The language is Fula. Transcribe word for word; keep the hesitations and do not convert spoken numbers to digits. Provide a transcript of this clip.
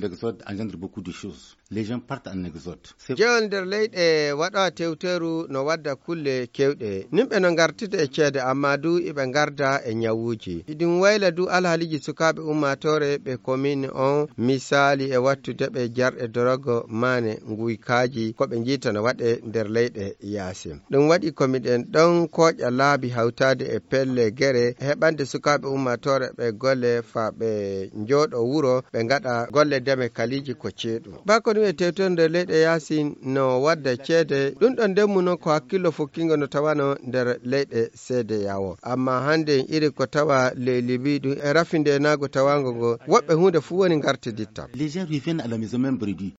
L'exode engendre beaucoup de choses. Les gens partent en exode. Jeyol nder leyɗe waɗa tewteru no wadda kulle kewɗe. Nimɓe no ngartida e ceede, amma du iɓe ngarda e ñawuuji. Iɗum wayla du alhaaliji sukaaɓe ummaatoore ɓe komin on, misaali e wattude ɓe jarɗe dorogo maane nguykaaji ko ɓe njiita no waɗe nder leyɗe yaasi. Ɗum waɗi ko miɗen ɗon kooƴa laabi hawtaade e pelle gere heɓande sukaaɓe ummaatoore ɓe golle fa ɓe njooɗo wuro ɓe ngaɗa golle deme kaliiji ko ceeɗu. Bako ɗum e tewtorde leyɗe yaasi no wadda ceede, ɗum ɗon ndemmu noon ko hakkillo fukkingo no tawano nder leyɗe seede yawo. Amma hannde iri ko tawa ley Libi ɗum e rafi ndenaago tawango ngo, woɓɓe huunde fuu woni ngartiditta. Les gens reviennent à la maison même bredouille.